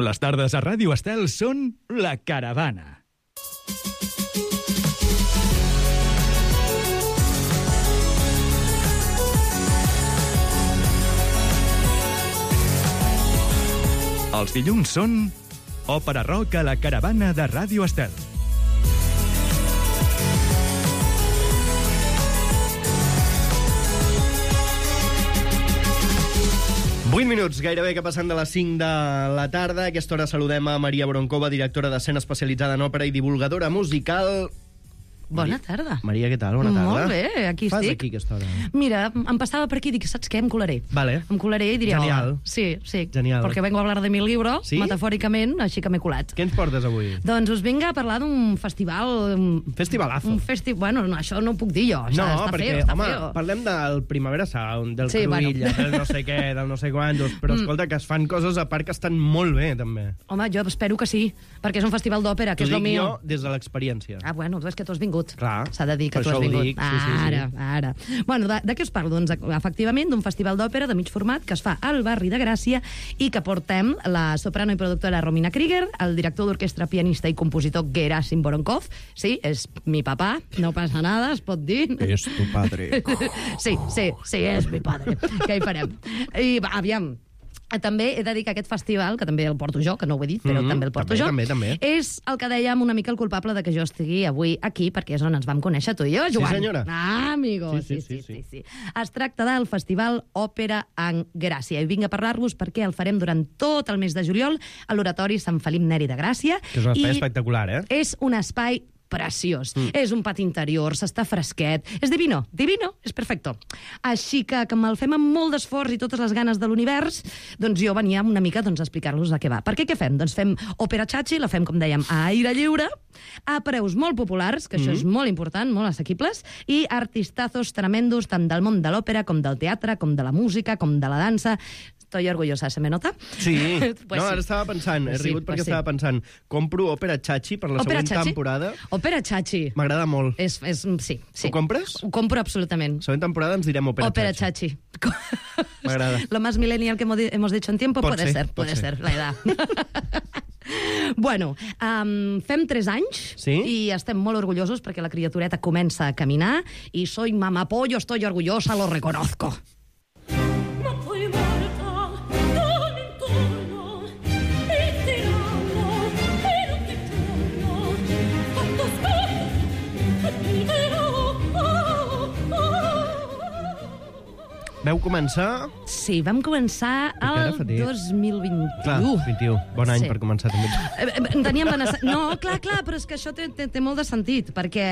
Les tardes a Ràdio Estel són La Caravana. Els dilluns són Òpera Rock a La Caravana de Ràdio Estel. Vuit minuts, gairebé que passen de les 5 de la tarda. A aquesta hora saludem a Maria Broncova, directora d'escena especialitzada en òpera i divulgadora musical. Bona tarda. Maria, què tal? Bona tarda. Molt bé, aquí Fas estic. aquí aquesta hora? Mira, em passava per aquí i dic, saps què? Em colaré. Vale. Em colaré i diré... Genial. Hola. Sí. Genial. Porque vengo a hablar de mi libro, Sí? metafòricament, així que m'he colat. Què ens portes avui? Doncs us vinc a parlar d'un festival... Festivalazo. Bueno, no, això no ho puc dir jo. No, està perquè, feo, està home, feo. parlem del Primavera Sound, del Sí, Cruïlla, bueno. del no sé què, del no sé quantos, però escolta, que es fan coses a part que estan molt bé, també. Home, jo espero que sí, perquè és un festival d'òpera, que T'ho és lo dic mío. jo des de l'experiència. Ah, bueno, és que tu has vingut. Clar. S'ha de dir que Per tu has això ho vingut. dic, sí. Ara. Bueno, de què us parlo? Doncs, efectivament, d'un festival d'òpera de mig format que es fa al barri de Gràcia i que portem la soprano i productora Romina Krieger, el director d'orquestra, pianista i compositor Gerasim Voronkov. Sí, és mi papà, no passa nada, es pot dir. És tu padre. Sí, és mi padre. Què hi farem? I va, aviam. També he de dir que aquest festival, que també el porto jo, que no ho he dit, però també el porto jo, també. és el que dèiem una mica el culpable de que jo estigui avui aquí, perquè és on ens vam conèixer tu i jo, Joan. Sí, senyora. Ah, amigo. Sí. Es tracta del Festival Òpera en Gràcia. I vinc a parlar-vos perquè el farem durant tot el mes de juliol a l'Oratori Sant Felip Neri de Gràcia. Que és un espai espectacular, eh? És un espai preciós. És un pati interior, s'està fresquet. És divino, és perfecto. Així que me'l fem amb molt d'esforç i totes les ganes de l'univers, doncs jo venia una mica a explicar-los de què va. Per què fem? Doncs fem òpera chachi, la fem, com dèiem, a aire lliure, a preus molt populars, que això és molt important, molt assequibles, i artistazos tremendos, tant del món de l'òpera, com del teatre, com de la música, com de la dansa. Estoy orgullosa, ¿se me nota? Sí. Pues no, sí. ara estava pensant, he rigut perquè estava pensant, compro òpera chachi per la Òpera següent chachi? temporada. Òpera chachi. M'agrada molt. Sí. Ho compres? Ho compro absolutament. La següent temporada ens direm òpera chachi. M'agrada. Lo más millennial que hemos dicho en tiempo Pot puede ser. ser, la edad. Bueno, fem 3 anys i estem molt orgullosos perquè la criatureta comença a caminar i soy mamapollo, estoy orgullosa, lo reconozco. Veu començar... Sí, vam començar el 2021. Clar, 21. Bon any Sí. per començar també. Teníem la necessitat... No, clar, però és que això té molt de sentit, perquè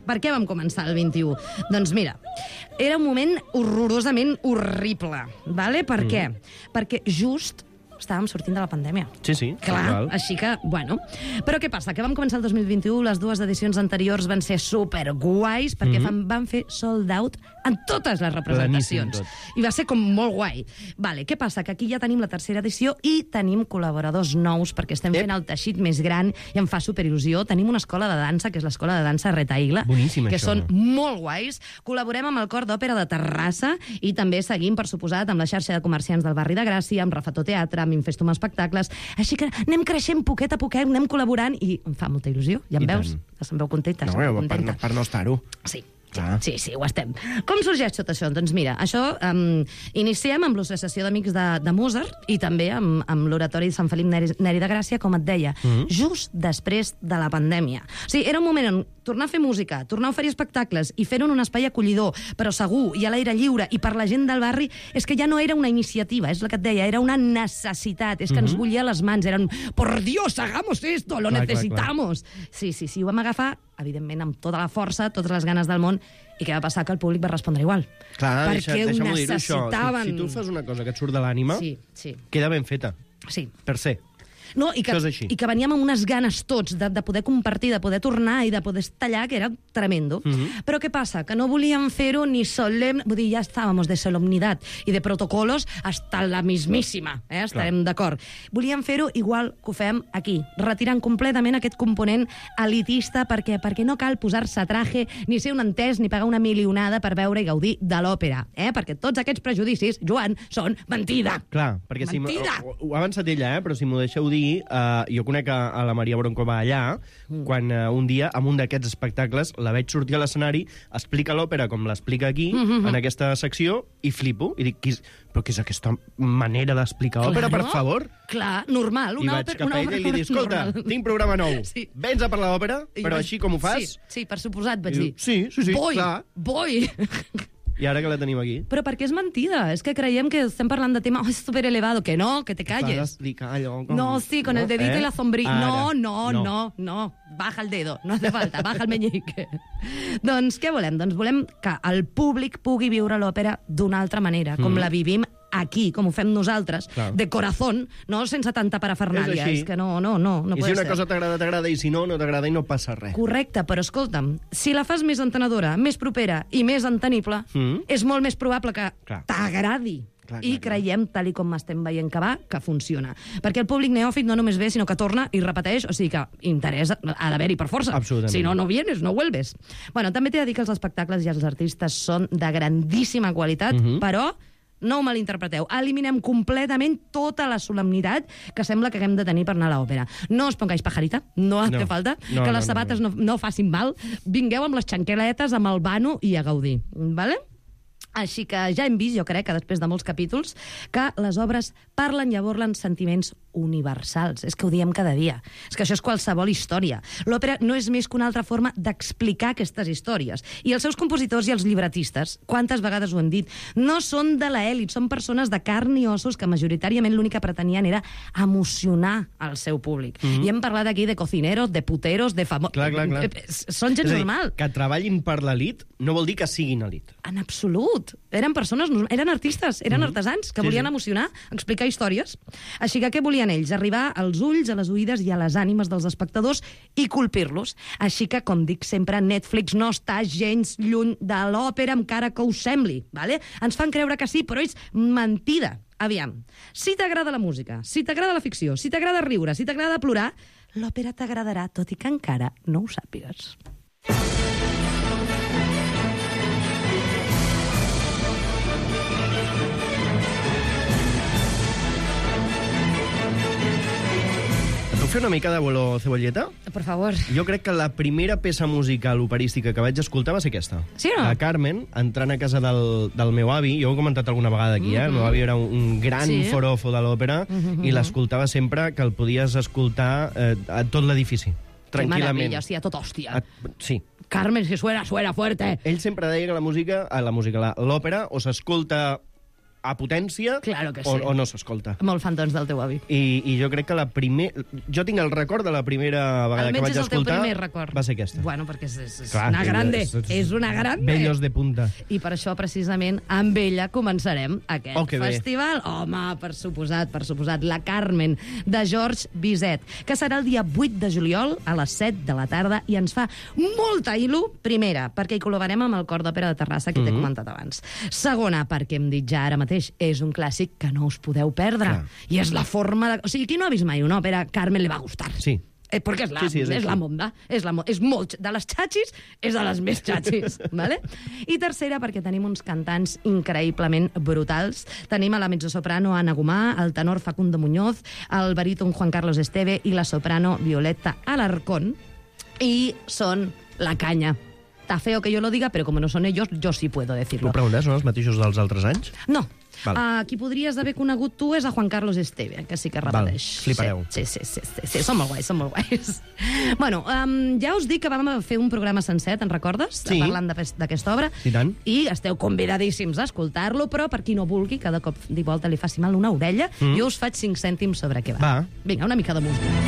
per què vam començar el 21? Doncs mira, era un moment horrorosament horrible, ¿vale? Per què? Perquè just estàvem sortint de la pandèmia. Sí. Clar, així que, bueno. Però què passa? Que vam començar el 2021, les 2 edicions anteriors van ser superguais, perquè van fer sold out en totes les representacions. Planíssim I va ser com molt guai. Vale, què passa? Que aquí ja tenim la 3ª edició i tenim col·laboradors nous, perquè estem fent el teixit més gran i em fa superil·lusió. Tenim una escola de dansa, que és l'escola de dansa Retaigla, Boníssim, que això. són molt guais. Col·laborem amb el Cor d'Òpera de Terrassa i també seguim, per suposat, amb la xarxa de comerciants del barri de Gràcia, amb Rafató Teatre, amb Infestum Espectacles. Així que anem creixent poquet a poquet, anem col·laborant i em fa molta il·lusió. Ja em veus? Que se'm veu contenta. Per no estar-ho. Sí. Clar. Sí, ho estem. Com sorgeix tot això? Doncs mira, això iniciem amb l'Associació d'Amics de Mozart i també amb l'Oratori de Sant Felip Neri de Gràcia, com et deia, just després de la pandèmia. O sigui, era un moment on tornar a fer música, tornar a oferir espectacles i fer-ho en un espai acollidor, però segur i a l'aire lliure i per la gent del barri, és que ja no era una iniciativa, és el que et deia, era una necessitat, és que ens bullia les mans, eren, por Dios, hagamos esto, lo necesitamos. Sí, ho vam agafar, evidentment, amb tota la força, totes les ganes del món, i què va passar? Que el públic va respondre igual. Clar, perquè ho deixa'm-ho dir-ho, necessitaven. això. Si tu fas una cosa que et surt de l'ànima, Sí. queda ben feta. Sí. Per ser. No, i que veníem amb unes ganes tots de poder compartir, de poder tornar i de poder tallar, que era tremendo. Però què passa? Que no volíem fer-ho ni solemne... Vull dir, ja estàvem de solemnitat i de protocolos hasta la mismíssima, estarem d'acord. Volíem fer-ho igual que ho fem aquí, retirant completament aquest component elitista, perquè no cal posar-se traje, ni ser un entès, ni pagar una milionada per veure i gaudir de l'òpera, perquè tots aquests prejudicis, Joan, són mentida. Clar, perquè mentida. ho ha avançat ella, però si m'ho deixeu dir, dir, jo conec a la Maria Broncova allà, quan un dia, en un d'aquests espectacles, la veig sortir a l'escenari, explica l'òpera com l'explica aquí, en aquesta secció, i flipo. I dic, però què és aquesta manera d'explicar òpera, per favor? Clar, normal. I vaig cap a ella i li dic, escolta, tinc programa nou. Vens a parlar d'òpera, però així com ho fas? Sí, per suposat, vaig dir. Sí, clar. Voy. I ara que la tenim aquí? Però perquè és mentida. És que creiem que estem parlant de tema súper elevado. Que no, que te calles. Para explicar allò... No, sí, con el dedito y la sombrilla. No. Baja el dedo. No hace falta. Baja el meñique. Doncs què volem? Doncs volem que el públic pugui viure l'òpera d'una altra manera, com la vivim aquí, com ho fem nosaltres, de corazón, no sense tanta parafernàlia. És que no I si una cosa t'agrada, i si no t'agrada i no passa res. Correcte, però escolta'm, si la fas més entenedora, més propera i més entenible, és molt més probable que t'agradi. I creiem, tal i com estem veient que va, que funciona. Perquè el públic neòfit no només ve, sinó que torna i repeteix, o sigui que interès ha d'haver-hi per força. Absolutament. Si no, no vienes, no vuelves. Bueno, també t'he de dir que els espectacles i els artistes són de grandíssima qualitat, però no ho malinterpreteu. Eliminem completament tota la solemnitat que sembla que haguem de tenir per anar a l'òpera. No os pongáis pajarita, no hace falta, que les sabates no facin mal. Vingueu amb les xanqueletes, amb el vano i a gaudir, ¿vale? Així que ja hem vist, jo crec, que després de molts capítols, que les obres parlen i aborlen sentiments universals. És que ho diem cada dia. És que això és qualsevol història. L'òpera no és més que una altra forma d'explicar aquestes històries. I els seus compositors i els llibretistes, quantes vegades ho hem dit, no són de l'elit, són persones de carn i ossos que majoritàriament l'únic que pretenien era emocionar el seu públic. I hem parlat aquí de cocineros, de puteros, de famosos... Clar. Són gent normal. Que treballin per l'elit no vol dir que siguin elit. En absolut. Eren persones, eren artistes, eren artesans que volien emocionar, explicar històries. Així que què volien ells? Arribar als ulls, a les oïdes i a les ànimes dels espectadors i colpir-los. Així que, com dic sempre, Netflix no està gens lluny de l'òpera, encara que us sembli. Vale? Ens fan creure que sí, però és mentida. Aviam, si t'agrada la música, si t'agrada la ficció, si t'agrada riure, si t'agrada plorar, l'òpera t'agradarà, tot i que encara no ho sàpigues. Fer una mica de vuelo cebolleta? Per favor. Jo crec que la primera peça musical operística que vaig escoltar va ser aquesta. Sí o no? La Carmen, entrant a casa del meu avi, jo ho he comentat alguna vegada aquí, el meu avi era un gran forofo de l'òpera i l'escoltava sempre que el podies escoltar a tot l'edifici. Tranquil·lament. Que meravella, sí, a tot hòstia. Sí. Carmen, si suena fuerte. Ell sempre deia que l'òpera o s'escolta a potència claro que sí. o no s'escolta. Molt fan, doncs, del teu avi. I jo crec que jo tinc el record de la primera vegada que vaig escoltar va ser aquesta. Bueno, perquè és una grande. És una grande. Bellos de punta. I per això, precisament, amb ella començarem aquest festival. Home, per suposat. La Carmen, de George Bizet, que serà el dia 8 de juliol a les 7 de la tarda i ens fa molta il·lu. Primera, perquè hi col·laborem amb el Cor d'Òpera de Terrassa, que t'he comentat abans. Segona, perquè hem dit ja ara mateix, és un clàssic que no us podeu perdre. I és la forma de... O sigui, qui no ha vist mai una òpera, Carmen le va gustar. Sí. Perquè és la monda. És molt... De les xatxis, és de les més xatxis. Vale? I tercera, perquè tenim uns cantants increïblement brutals. Tenim a la mezzosoprano Ana Gomà, el tenor Facundo Muñoz, el baríton Juan Carlos Esteve i la soprano Violeta Alarcón. I són la canya. Está feo que yo lo diga, pero como no son ellos, yo sí puedo decirlo. Ho preguntes, són els mateixos dels altres anys? No. Qui podries haver conegut tu és a Juan Carlos Esteve, que sí que repeteix. Flipareu. Sí, són molt guais. Bueno, ja us dic que vam fer un programa sencer, te'n recordes? Sí. Parlant d'aquesta obra. I tant. I esteu convidadíssims a escoltar-lo, però per qui no vulgui, cada cop de volta li faci mal una orella, jo us faig 5 cèntims sobre què va. Vinga, una mica de música.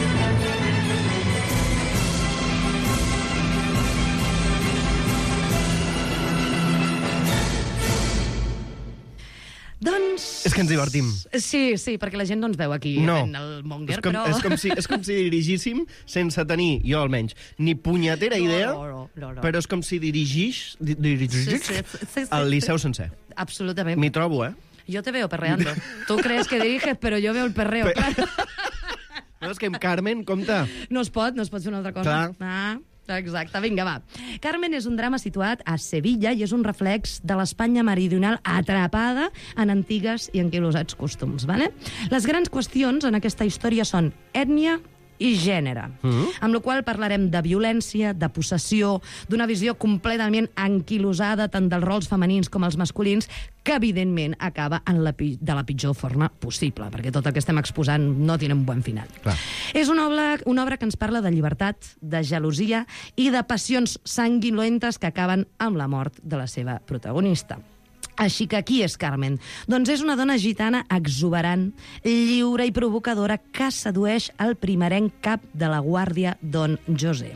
Doncs... És que ens divertim. Sí, perquè la gent no ens veu aquí en el Monger, però... És com si dirigíssim sense tenir, jo almenys, ni punyetera idea, però és com si dirigís el Liceu sencer. Absolutament. M'hi trobo, Yo te veo perreando. Tú crees que diriges, pero yo veo el perreo, claro. No, és que amb Carmen, compte. No es pot fer una altra cosa. Clar. Exacte, vinga, va. Carmen és un drama situat a Sevilla i és un reflex de l'Espanya meridional atrapada en antigues i anquilosats costums, vale? Les grans qüestions en aquesta història són ètnia i gènere, amb la qual parlarem de violència, de possessió, d'una visió completament anquilosada tant dels rols femenins com els masculins, que evidentment acaba de la pitjor forma possible, perquè tot el que estem exposant no té un bon final. Clar. És una obra que ens parla de llibertat, de gelosia i de passions sanguinolentes que acaben amb la mort de la seva protagonista. Així que qui és Carmen? Doncs és una dona gitana exuberant, lliure i provocadora que sedueix el primerenc cap de la guàrdia, Don José.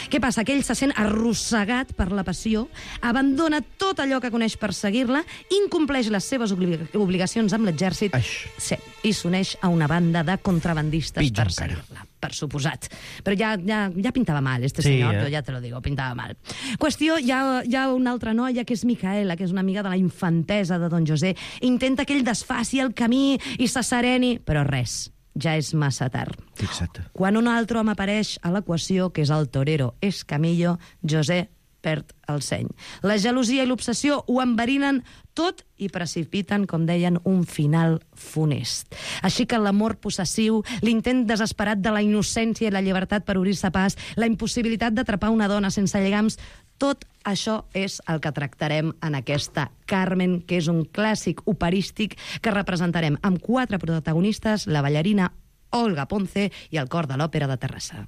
Què passa? Que ell se sent arrossegat per la passió, abandona tot allò que coneix per seguir-la, incompleix les seves obligacions amb l'exèrcit, sí, i s'uneix a una banda de contrabandistes per seguir-la, per suposat. Però ja pintava mal, senyor, jo ja te lo digo, pintava mal. Qüestió, hi ha una altra noia, que és Micaela, que és una amiga de la infantesa de Don José, intenta que ell desfaci el camí i s'assereni, però res. Ja és massa tard. Fixa't. Quan un altre home apareix a l'equació, que és el torero Escamillo, José perd el seny. La gelosia i l'obsessió ho enverinen tot i precipiten, com deien, un final funest. Així que l'amor possessiu, l'intent desesperat de la innocència i la llibertat per obrir-se pas, la impossibilitat d'atrapar una dona sense lligams, tot això és el que tractarem en aquesta Carmen, que és un clàssic operístic que representarem amb 4 protagonistes, la ballarina Olga Ponce i el cor de l'Òpera de Terrassa.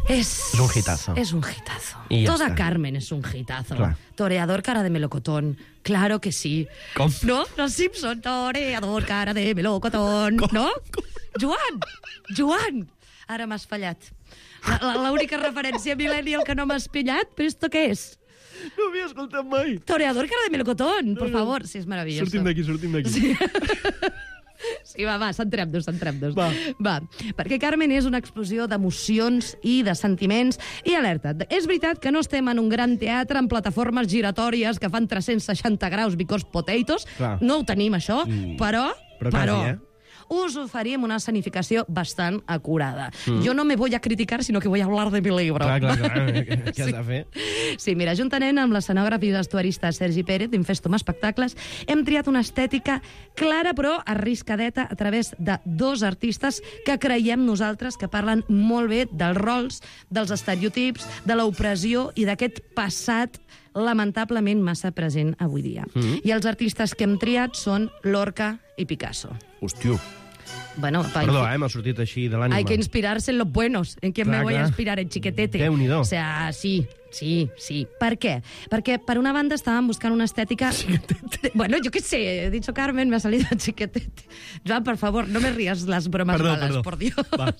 És un hitazo. Es un hitazo. Toda Carmen es un hitazo. Clar. Toreador cara de melocotón. Claro que sí. Com? No? Los Simpson. Toreador cara de melocotón. Com? No? Joan! Ara m'has fallat. L'única referència millennial que no m'has pillat, però esto què és? No havia escoltat mai. Toreador cara de melocotón, por favor. Sí, és meravelloso. Sortim d'aquí. Sí. Sí, va, centrem-nos. Va, perquè Carmen és una explosió d'emocions i de sentiments. I alerta, és veritat que no estem en un gran teatre amb plataformes giratòries que fan 360 graus because potatoes. Clar. No ho tenim, això, però quasi, us oferim una escenificació bastant acurada. Jo no me voy a criticar, sinó que voy a hablar de mi libro. Clar, què has de fer? Sí, mira, juntament amb l'escenògraf i vestuarista Sergi Pérez d'Infestum Espectacles, hem triat una estètica clara però arriscadeta a través de 2 artistes que creiem nosaltres que parlen molt bé dels rols, dels estereotips, de l'opressió i d'aquest passat lamentablement massa present avui dia. I els artistes que hem triat són Lorca i Picasso. Hòstia. Bueno, Perdó, m'ha sortit així de l'ànima. Hay que inspirarse en los buenos. ¿En quién me voy a inspirar? En Chiquetete. Déu-n'hi-do. O sea, sí. Per què? Perquè, per una banda, estàvem buscant una estètica... Bueno, yo qué sé, he dicho Carmen, me ha salido Chiquetete. Joan, por favor, no me rías las bromas malas, por Dios. Va.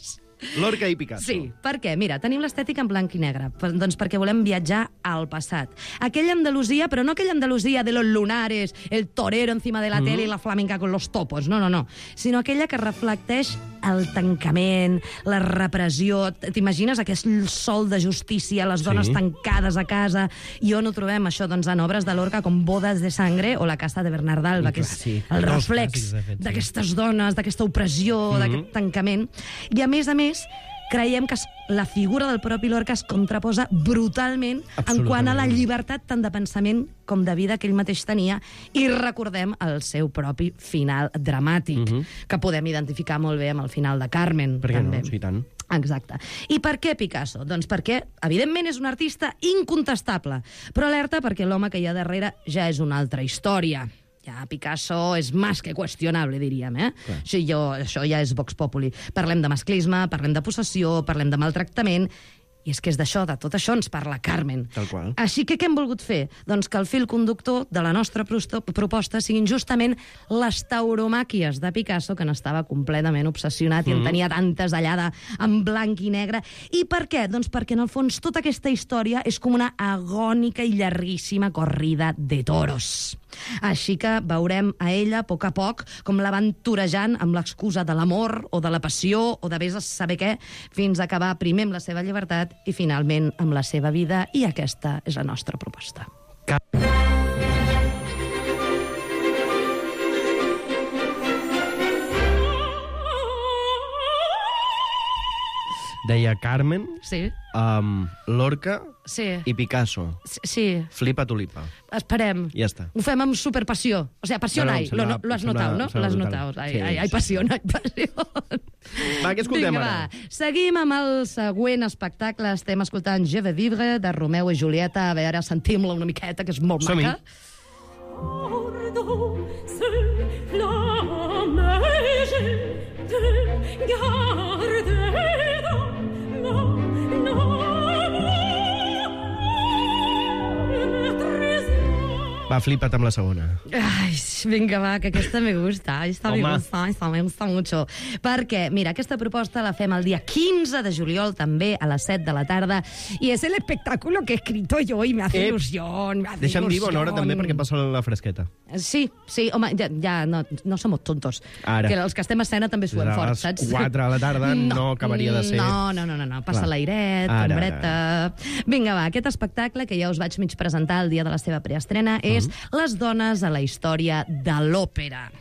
Lorca i Picasso. Sí, per què? Mira, tenim l'estètica en blanc i negre, doncs perquè volem viatjar al passat. Aquella Andalusia, però no aquella Andalusia de los lunares, el torero encima de la tele i la flamenca con los topos, no, sinó aquella que reflecteix el tancament, la repressió. T'imagines aquest sol de justícia, les dones tancades a casa, i on ho trobem, això, doncs, en obres de Lorca com Bodas de Sangre o La Casa de Bernardalba, que és el reflex d'aquestes dones, d'aquesta opressió, d'aquest tancament. I a més, creiem que la figura del propi Lorca es contraposa brutalment en quant a la llibertat tant de pensament com de vida que ell mateix tenia, i recordem el seu propi final dramàtic, que podem identificar molt bé amb el final de Carmen. Per què no? Sí, tant. Exacte. I per què Picasso? Doncs perquè, evidentment, és un artista incontestable, però alerta perquè l'home que hi ha darrere ja és una altra història. Ja Picasso és més que qüestionable, diríem, Això ja és Vox Populi. Parlem de masclisme, parlem de possessió, parlem de maltractament, I és que és d'això, de tot això ens parla Carmen. Tal qual. Així que què hem volgut fer? Doncs que el fil conductor de la nostra proposta siguin justament les tauromàquies de Picasso, que n'estava completament obsessionat i en tenia tantes allà en blanc i negre. I per què? Doncs perquè, en el fons, tota aquesta història és com una agònica i llarguíssima corrida de toros. Així que veurem a ella, a poc, com la van torejant amb l'excusa de l'amor o de la passió o de vés a saber què, fins a acabar primer amb la seva llibertat i finalment amb la seva vida, i aquesta és la nostra proposta. Deia Carmen, Sí? Lorca Sí. i Picasso. Sí. Flipa tulipa. Esperem. Ja està. Ho fem amb superpassió. O sea, pasión No, no, hay. em sembla- Lo has em sembla- notado, no? em sembla Lo has brutal. notado. Sí, Hay sí. passió, hay passió. Va, què escoltem Vinga, ara? va. Seguim amb el següent espectacle. Estem escoltant Je veux vivre, de Romeu i Julieta. A veure, sentim-la una miqueta, que és molt Som-hi. maca. Va, flipa't amb la segona. Ai, vinga, va, que aquesta me gusta. Esta me Home. gusta, me gusta mucho. Perquè, mira, aquesta proposta la fem el dia 15 de juliol, també a les 7 de la tarda, i és el espectáculo que he escrito yo y me hace ilusión, me hace Deixa'm dir bona hora ilusión. també perquè passa la fresqueta. Sí, home, ja no som tontos. Ara. Que els que estem a escena també suem A fort, les saps? 4 de la tarda no acabaria de ser. No. Passa Clar. l'airet, Ara, ombreta... Vinga, va, aquest espectacle, que ja us vaig mig presentar el dia de la seva preestrena, és Les dones a la història de l'òpera.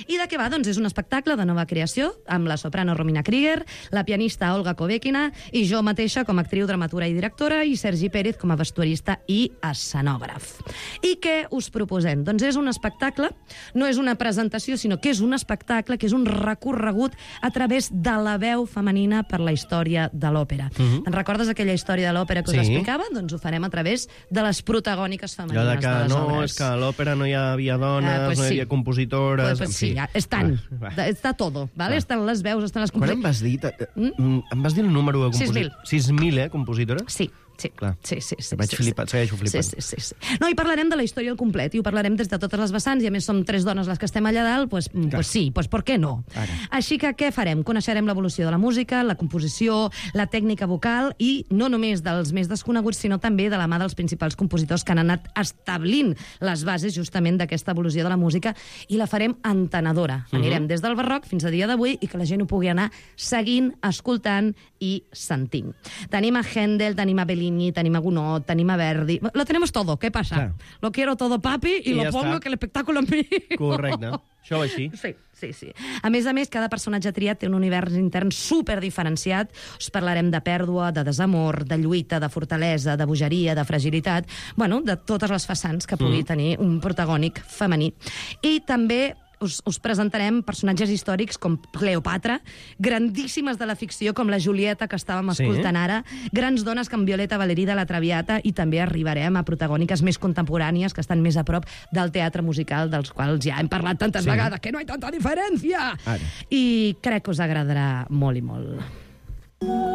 I de què va? Doncs és un espectacle de nova creació, amb la soprano Romina Krieger, la pianista Olga Kovekina, i jo mateixa com a actriu, dramaturga i directora, i Sergi Pérez com a vestuarista i escenògraf. I què us proposem? Doncs és un espectacle, no és una presentació, sinó que és un espectacle, que és un recorregut a través de la veu femenina per la història de l'òpera. Te'n recordes aquella història de l'òpera que us Sí. explicava? Doncs ho farem a través de les protagòniques Allò femenines de que de les no, obres. és que a l'òpera no hi havia dones, Pues no hi sí. havia compositores... Pues en sí, fi. ja, estan. Va. Està todo, ¿vale? Va. Estan les veus, estan les Quan em vas dir? Em vas dir el número de compositores? 6.000, compositores? Sí. Sí, Clar. sí. Vaig flipar, segueixo flipant. Sí. No, i parlarem de la història al complet, i ho parlarem des de totes les vessants, i a més som 3 dones les que estem allà dalt, pues sí, pues per què no? Ara. Així que què farem? Coneixerem l'evolució de la música, la composició, la tècnica vocal, i no només dels més desconeguts, sinó també de la mà dels principals compositors que han anat establint les bases justament d'aquesta evolució de la música, i la farem entenedora. Anirem des del barroc fins a dia d'avui, i que la gent ho pugui anar seguint, escoltant i sentint. Tenim a Händel, tenim a Bellini, tenim a Gounod, tenim a Verdi... Lo tenemos todo, ¿qué pasa? Clar. Lo quiero todo, papi, y I lo ja pongo està. que el espectáculo en mi. Correcte. Això va així. Sí. A més, cada personatge triat té un univers intern superdiferenciat. Us parlarem de pèrdua, de desamor, de lluita, de fortalesa, de bogeria, de fragilitat... Bueno, de totes les façans que pugui tenir un protagònic femení. I també us presentarem personatges històrics com Cleopatra, grandíssimes de la ficció com la Julieta, que estàvem escoltant ara, grans dones com Violeta Valerí de la Traviata, i també arribarem a protagòniques més contemporànies que estan més a prop del teatre musical, dels quals ja hem parlat tantes vegades, que no hi ha tanta diferència! Ara. I crec que us agradarà molt i molt.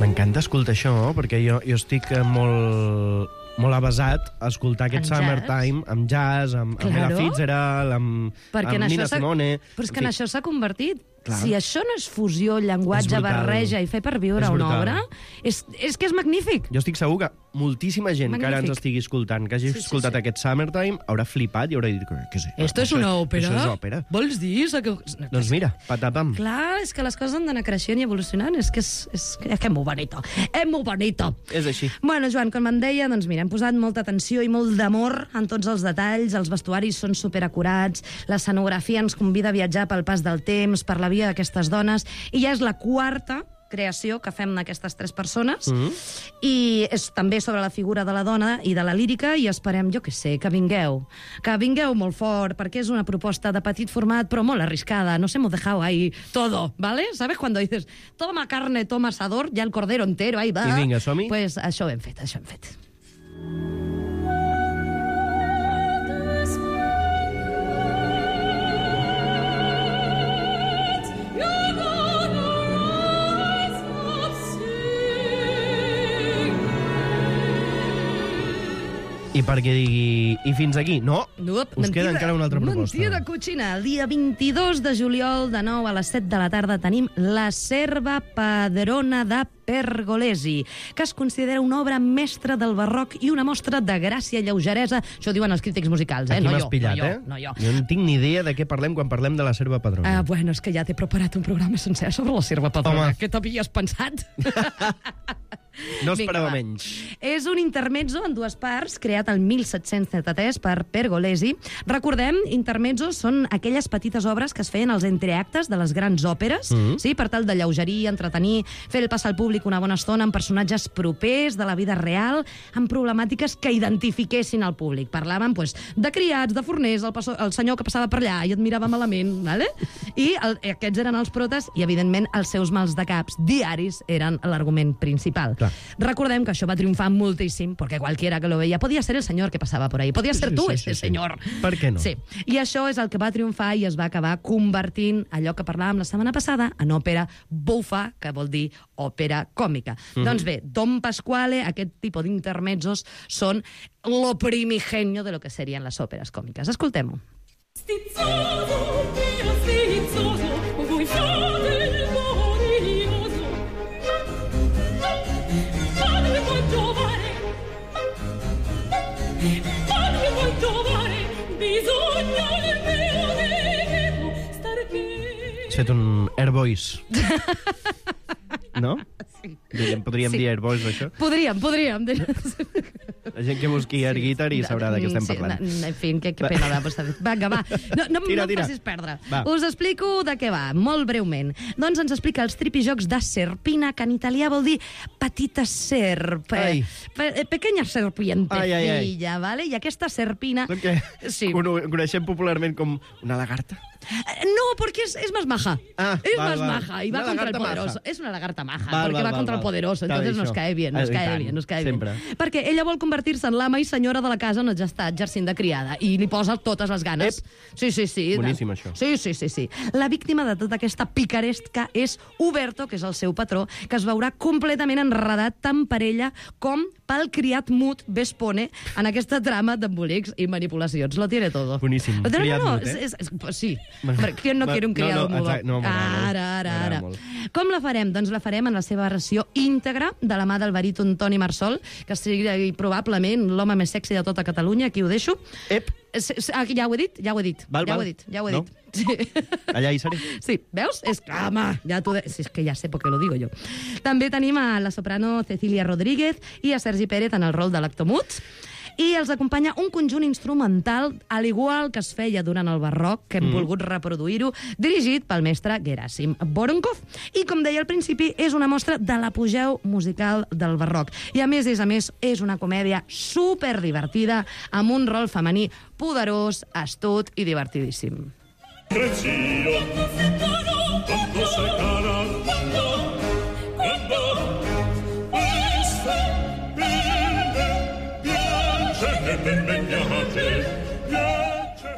M'encanta escoltar això, perquè jo estic molt avasat a escoltar aquest En jazz? Summertime amb jazz, amb Ella Claro. Fitzgerald, amb Nina Simone... Però és que en això s'ha convertit. Clar. Si això no és fusió, llenguatge, És brutal. barreja i fer per viure És una brutal. obra, és que és magnífic. Jo estic segur que moltíssima gent que ara ens Magnífic. estigui escoltant, que hagi Sí, escoltat aquest Summertime, haurà flipat i haurà dit, què és? Esto es una òpera? Això és òpera. Vols dir? Doncs mira, patapam. Clar, és que les coses han d'anar creixent i evolucionant. És que és molt bonito. És molt bonito. És així. Bueno, Joan, com em deia, doncs mira, hem posat molta atenció i molt d'amor en tots els detalls, els vestuaris són superacurats, l'escenografia ens convida a viatjar pel pas del temps, per la vida d'aquestes dones, i ja és la quarta creació que fem aquestes 3 persones, i és també sobre la figura de la dona i de la lírica, i esperem, jo què sé, que vingueu molt fort, perquè és una proposta de petit format, però molt arriscada, nos hemos dejado ahí todo, ¿vale? ¿Sabes? Cuando dices, toma carne, toma asador, ya el cordero entero, ahí va. I vinga, som-hi. Pues això hem fet, això hem fet. I perquè digui... I fins aquí? No, us queda encara una altra proposta. Mentida cochina. El dia 22 de juliol, de 9 a les 7 de la tarda, tenim La serva padrona de Pergolesi, que es considera una obra mestra del barroc i una mostra de gràcia i lleugeresa. Això diuen els crítics musicals, Aquí no m'has jo, pillat, no jo. Jo no tinc ni idea de què parlem quan parlem de la serva padrona. Bueno, és que ja t'he preparat un programa sencer sobre la serva padrona. Home. Què t'havies pensat? No esperava Vinga, menys. És un intermezzo en 2 parts, creat el 1733 per Pergolesi. Recordem, intermezzos són aquelles petites obres que es feien als entreactes de les grans òperes, sí, per tal de lleugerir, entretenir, fer passar al públic una bona estona amb personatges propers de la vida real, amb problemàtiques que identifiquessin al públic. Parlaven de criats, de forners, el senyor que passava per allà i et mirava malament, ¿vale? I aquests eren els protes i, evidentment, els seus mals de caps diaris eren l'argument principal. Clar. Recordem que això va triomfar moltíssim, perquè qualquiera que lo veia podia ser el senyor que passava por ahí, podia ser tu, este senyor. Per què no? Sí, i això és el que va triomfar i es va acabar convertint allò que parlàvem la setmana passada en òpera bufa, que vol dir òpera còmica. Doncs bé, Don Pasquale, aquest tipus d'intermezzos són lo primigenio de lo que serien les òperes còmiques. Escoltem-ho. Stizzoso, mio stizzoso, vuoi fare il glorioso? Padre vuoi trovare, bisogna del mio devo star qui. Has fet un Air Voice. No? Sí. Podríem dir Air Voice, això? Podríem. La gent que busqui Air Guitar i sabrà de què estem parlant. En fi, que pena de passar. Vinga, va. No Tira. em facis perdre. Va. Us explico de què va, molt breument. Doncs ens explica els tripijocs de serpina, que en italià vol dir petita serp. Ai. Pequeña serpientecilla, Ai. ¿vale? I aquesta serpina... Doncs què? Sí. Coneixem popularment com una lagarta? No, porque es más maja. Es val, más val. maja y va Una contra el lagarta poderoso. maja. Es una lagarta maja, Val, porque val, va contra val. el poderoso. Està Entonces bé, nos això. cae bien, nos cae Sempre. bien. Perquè ella vol convertir-se en l'ama i senyora de la casa on ja està exercint de criada i li posa totes les ganes. Sí. Boníssim, això. Sí. La víctima de tota aquesta picaresca és Uberto, que és el seu patró, que es veurà completament enredat tant per ella com pel criat mut Vespone en aquesta trama d'embolics i manipulacions. Lo tiene todo. Boníssim. Criat mut, Pues sí. ¿Quién no quiere un criado mudo? No, Ara. Com la farem? Doncs la farem en la seva versió íntegra, de la mà del baríton Toni Marsol, que sigui probablement l'home més sexy de tota Catalunya. Aquí ho deixo. Ep. Ja ho he dit. Ja ho he dit. No? Sí. Allà hi seré. Sí, veus? Home, si és que ja sé per què lo digo jo. També tenim a la soprano Cecilia Rodríguez i a Sergi Pérez en el rol de l'actomut. I els acompanya un conjunt instrumental, al igual que es feia durant el barroc, que hem volgut reproduir-ho, dirigit pel mestre Gerasim Voronkov. I, com deia al principi, és una mostra de l'apogeu musical del barroc. I, a més, és una comèdia superdivertida, amb un rol femení poderós, astut i divertidíssim. Recino, quando sei cara, quando questa piace che t'impegnate,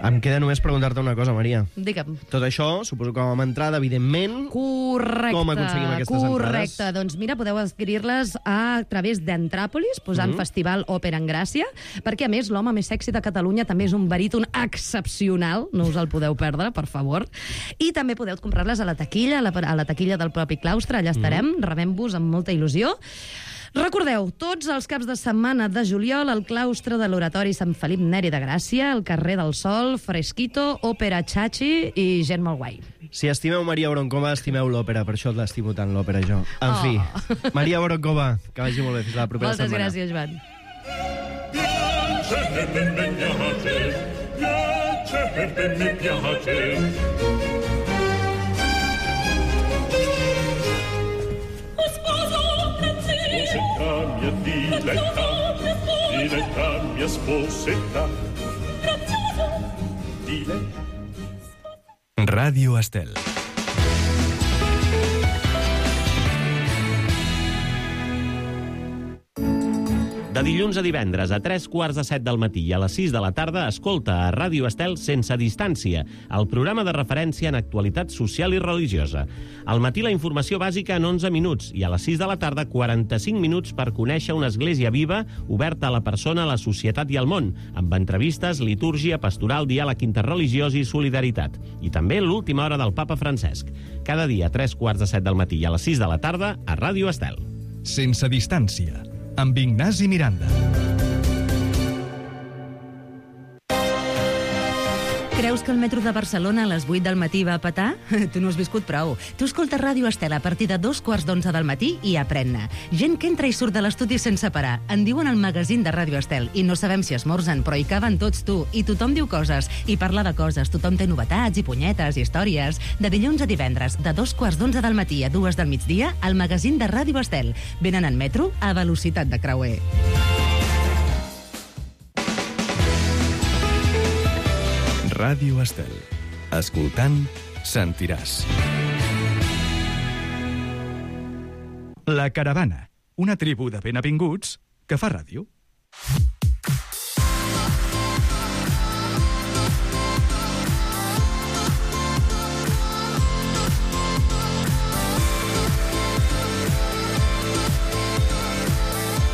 Em queda només preguntar-te una cosa, Maria. Digue'm. Tot això, suposo que amb entrada, evidentment... Correcte. Com aconseguim aquestes entrades? Doncs mira, podeu adquirir-les a través d'Entràpolis, posant Festival Òpera en Gràcia, perquè, a més, l'home més sexy de Catalunya també és un baríton excepcional, no us el podeu perdre, per favor. I també podeu comprar-les a la taquilla, a la taquilla del propi claustre, allà estarem, rebem-vos amb molta il·lusió. Recordeu, tots els caps de setmana de juliol al claustre de l'Oratori Sant Felip Neri de Gràcia, al carrer del Sol, Fresquito, Òpera Chachi i gent molt guai. Si estimeu Maria Voronkova, estimeu l'òpera, per això l'estimo tant, l'òpera, jo. En fi, Maria Voronkova, que vagi molt bé, fins la propera setmana. Moltes gràcies, Joan. piace che t'impegnate, piace perché mi piace. Diletta, mia sposetta. Diletta. Ràdio Estel. De dilluns a divendres a 3:45 del matí i a les 6 de la tarda escolta a Ràdio Estel Sense Distància, el programa de referència en actualitat social i religiosa. Al matí la informació bàsica en 11 minuts i a les 6 de la tarda 45 minuts per conèixer una església viva, oberta a la persona, a la societat i al món, amb entrevistes, litúrgia, pastoral, diàleg interreligiós i solidaritat. I també l'última hora del papa Francesc. Cada dia a 3:45 del matí i a les 6 de la tarda a Ràdio Estel. Sense Distància, amb Ignasi Miranda. Creus que el metro de Barcelona a les 8 del matí va a petar? Tu no has viscut prou. Tu escoltes Ràdio Estel a partir de 2:15 del matí i aprèn-ne. Gent que entra i surt de l'estudi sense parar. En diuen el magazín de Ràdio Estel i no sabem si esmorzen, però hi caben tots, tu. I tothom diu coses i parla de coses. Tothom té novetats i punyetes i històries. De dilluns a divendres, de 2:15 del matí a 2 del migdia, el magazín de Ràdio Estel. Venen en metro a velocitat de creuer. Ràdio Estel. Escoltant, sentiràs. La Caravana, una tribu de benavinguts que fa ràdio.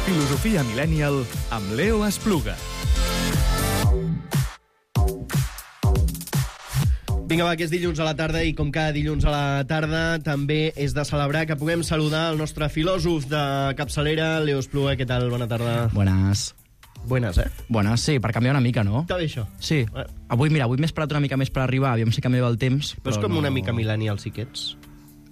Filosofia Millennial amb Leo Espluga. Vinga, va, que és dilluns a la tarda i com cada dilluns a la tarda també és de celebrar que puguem saludar el nostre filòsof de capçalera, Leo Espluga. Què tal? Bona tarda. Buenas. Buenas, Buenas, sí, per canviar una mica, no? Està bé, això. Sí. Avui m'he esperat una mica més per arribar, aviam si canvia el temps. Però és com una mica millennial, sí que ets.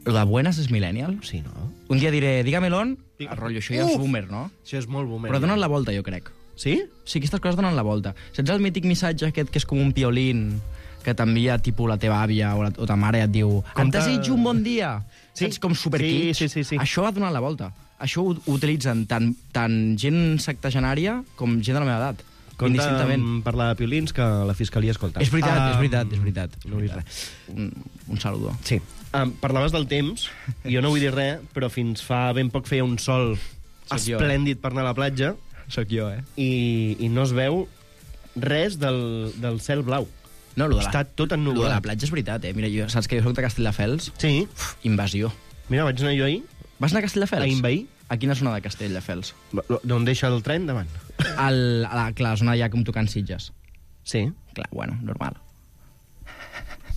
Lo de buenas és millennial? Sí, no? Un dia diré, dígamelo, el rotllo, això ja és boomer, no? Això és molt boomer. Però donen la volta, jo crec. Sí? Sí, aquestes coses donen la volta. Saps el mític missatge aquest que és com un piolín que t'envia, tipus, la teva àvia o ta mare i et diu em desitjo un bon dia? Sí. Saps, com superkits? Sí. Això ha donat la volta. Això ho utilitzen tant gent sectagenària com gent de la meva edat. Compte amb parlar de piolins que la fiscalia escolta. És veritat. No vull dir res. Un saludo. Sí. Parlaves del temps, jo no vull dir res, però fins fa ben poc feia un sol esplèndid per anar a la platja. Soc jo, I no es veu res del cel blau. No, està tot ennubulat. Lo de la platja és veritat, Mira, saps que jo soc de Castelldefels? Sí. Invasió. Mira, vaig anar jo ahir. Vas anar a Castelldefels? A invair. A quina zona de Castelldefels? D'on deixa el tren davant. A la zona ja com tocant Sitges. Sí. Clar, bueno, normal.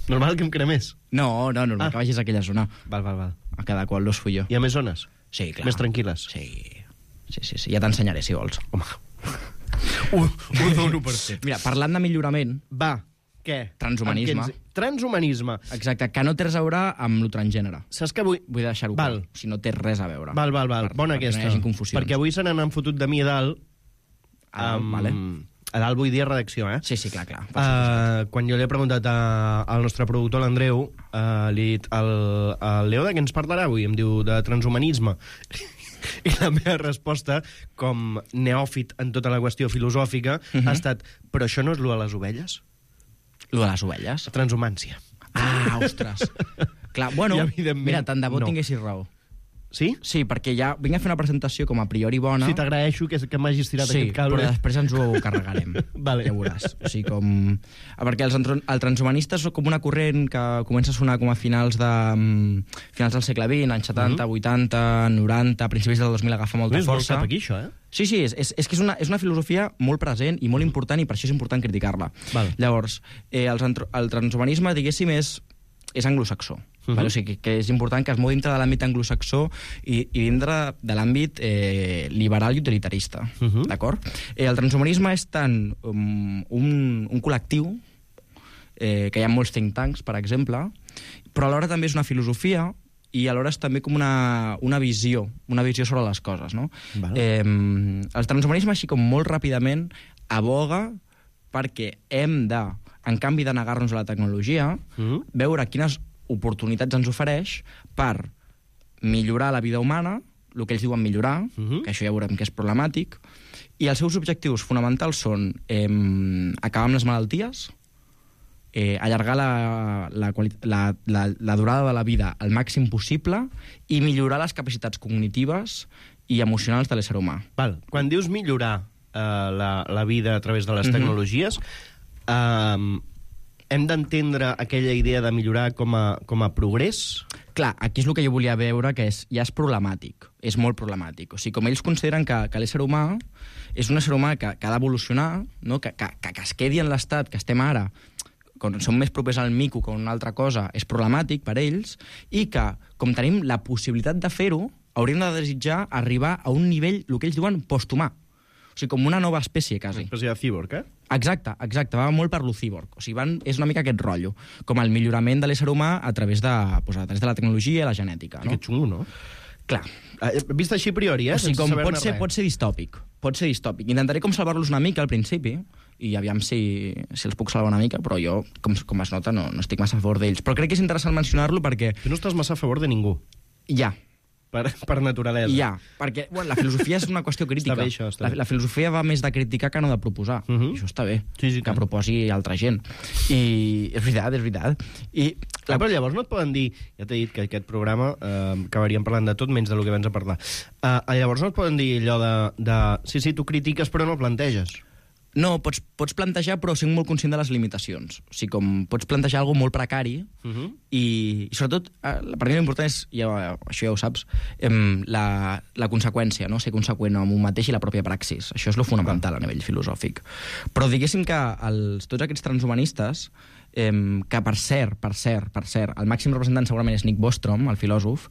Normal que em cremés. No, normal que vagis a aquella zona. Val. A cada qual los fui jo. Hi ha més zones? Sí, clar. Més tranquil·les? Sí. Ja t'ensenyaré, si vols. Home. Ho dono per fet. Mira, parlant de millorament... Va, què? Transhumanisme. Transhumanisme. Exacte, que no té res a veure amb lo transgènere. Saps que avui... Vull deixar-ho clar. Si no té res a veure. Val. Bona aquesta. No hi hagi confusions. Perquè avui se n'han fotut de mi a dalt. Vale. A dalt vull dir redacció, Sí, clar. Quan jo li he preguntat al nostre productor, l'Andreu, li he dit, el Leo de què ens parlarà avui? Em diu, de transhumanisme. I la meva resposta, com neòfit en tota la qüestió filosòfica, ha estat, però això no és lo de les ovelles? Lo de les ovelles? Transhumància. Ostres. Clar, bueno, mira, tant de bo tinguessis raó. Sí? Sí, perquè ja vinc a fer una presentació com a priori bona. Sí, t'agraeixo que m'hagis tirat aquest cable. Sí, però després ens ho carregarem. Vale. Ja veuràs. O sigui, perquè el transhumanista és com una corrent que comença a sonar com a finals del segle XX, anys 70, 80, 90, principis del 2000 agafa molta força. És molt cap aquí, això, Sí, és que és una filosofia molt present i molt important, i per això és important criticar-la. Llavors, el transhumanisme, diguéssim, és anglosaxó. O sigui, que és important que es mou dintre de l'àmbit anglosaxó i dintre de l'àmbit liberal i utilitarista. D'acord? El transhumanisme és tant un col·lectiu, que hi ha molts think tanks, per exemple, però alhora també és una filosofia i alhora és també com una visió sobre les coses, no? El transhumanisme, així com molt ràpidament, aboga perquè hem de, en canvi de negar-nos a la tecnologia, veure quines oportunitats ens ofereix per millorar la vida humana el que ells diuen millorar, que això ja veurem que és problemàtic, i els seus objectius fonamentals són acabar amb les malalties, allargar la durada de la vida al màxim possible i millorar les capacitats cognitives i emocionals de l'ésser humà. Val. Quan dius millorar la vida a través de les tecnologies, hem d'entendre aquella idea de millorar com a progrés? Clar, aquí és el que jo volia veure, que ja és problemàtic, és molt problemàtic. O sigui, com ells consideren que l'ésser humà és un ésser humà que ha d'evolucionar, no? que es quedi en l'estat que estem ara, quan som més propers al mico que una altra cosa, és problemàtic per ells, i que, com tenim la possibilitat de fer-ho, hauríem de desitjar arribar a un nivell, el que ells diuen, posthumà. O sigui, com una nova espècie, quasi. Una espècie de cíborg, Exacte, va molt per lo cíborg. O sigui, és una mica aquest rotllo, com el millorament de l'ésser humà a través de la tecnologia i la genètica. No? Que xungo, no? Clar. Vist així a priori, O sigui, com pot ser distòpic. Intentaré com salvar-los una mica al principi, i aviam si els puc salvar una mica, però jo, com es nota, no estic massa a favor d'ells. Però crec que és interessant mencionar-lo perquè... Tu no estàs massa a favor de ningú. Ja. Per naturalesa. Ja, perquè la filosofia és una qüestió crítica. Està bé, això, està bé. La filosofia va més de criticar que no de proposar. I això està bé, que proposi altra gent. I és veritat. Però llavors no et poden dir... Ja t'he dit que aquest programa acabaríem parlant de tot menys de lo que vens a parlar. Llavors no et poden dir allò de... Sí, tu critiques però no planteges. No, pots plantejar, però sent molt conscient de les limitacions. O sigui, com pots plantejar alguna molt precari i sobretot, per mi l'important és, això ja ho saps, la conseqüència, no? Ser conseqüent amb un mateix i la pròpia praxis. Això és lo fonamental a nivell filosòfic. Però diguéssim que tots aquests transhumanistes, que per cert, el màxim representant segurament és Nick Bostrom, el filòsof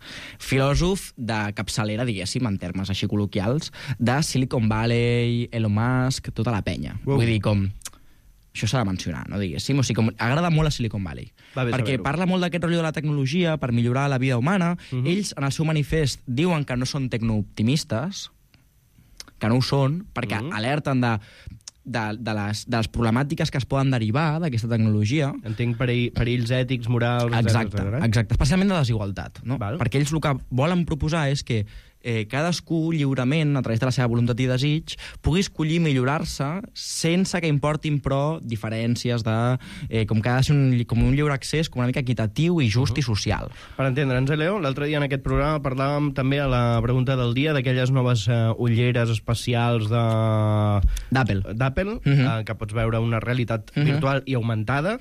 de capçalera, diguéssim, en termes així col·loquials, de Silicon Valley, Elon Musk, tota la penya. Vull dir, com... Això s'ha de mencionar, no, diguéssim? O sigui, com agrada molt a Silicon Valley. Perquè parla molt d'aquest rotllo de la tecnologia per millorar la vida humana. Ells, en el seu manifest, diuen que no són tecnooptimistes, que no ho són, perquè alerten de les problemàtiques que es poden derivar d'aquesta tecnologia. Entenc perills ètics, morals... Exacte, especialment de desigualtat. No? Perquè ells el que volen proposar és que cadascú lliurement, a través de la seva voluntat i desig, pugui escollir millorar-se sense que importin, però, diferències de... com que ha de ser com un lliure accés com una mica equitatiu i just i social. Per entendre'ns, Leo, l'altre dia en aquest programa parlàvem també a la pregunta del dia d'aquelles noves ulleres espacials d'Apple, que pots veure una realitat virtual i augmentada.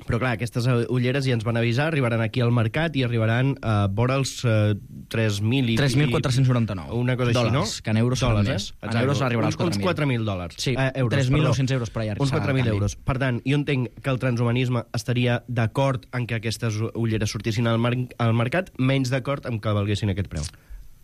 Però clar, aquestes ulleres ja ens van avisar, arribaran aquí al mercat i arribaran vora els 3.000 i... 3.499 una cosa així, no? Que en euros són més. En euros arribarà als 4.000. Uns 4.000 dòlars. Sí, 3.900 euros per allà. Uns 4.000 euros. Per tant, jo entenc que el transhumanisme estaria d'acord en que aquestes ulleres sortissin al mercat, menys d'acord en que valguessin aquest preu.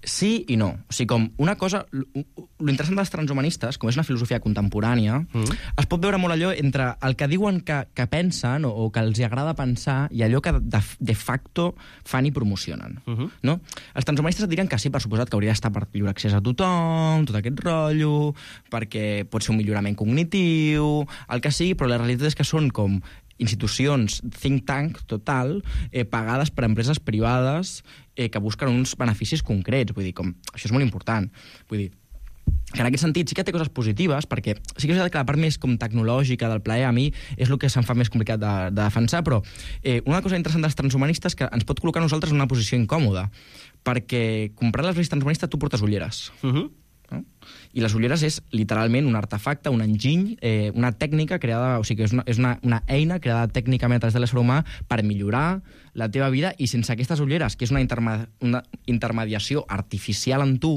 Sí i no. O sigui, com una cosa... L'interessant dels transhumanistes, com és una filosofia contemporània, es pot veure molt allò entre el que diuen que pensen o que els agrada pensar i allò que de facto fan i promocionen. No? Els transhumanistes et diran que sí, per suposat, que hauria d'estar per lliure accés a tothom, tot aquest rotllo, perquè pot ser un millorament cognitiu, el que sigui, però la realitat és que són com institucions think tank total, pagades per empreses privades que busquen uns beneficis concrets. Vull dir, com, això és molt important. Vull dir, que en aquest sentit sí que té coses positives, perquè sí que és veritat que la part més com tecnològica del plaer a mi és el que se'm fa més complicat de defensar, però una cosa interessant dels transhumanistes que ens pot col·locar a nosaltres en una posició incòmoda, perquè comprant les ulleres transhumanistes tu portes ulleres. No? I les ulleres és literalment un artefacte, un enginy, una tècnica creada, o sigui, és una eina creada tècnicament a través de l'ésser humà per millorar la teva vida, i sense aquestes ulleres, que és una intermediació artificial en tu,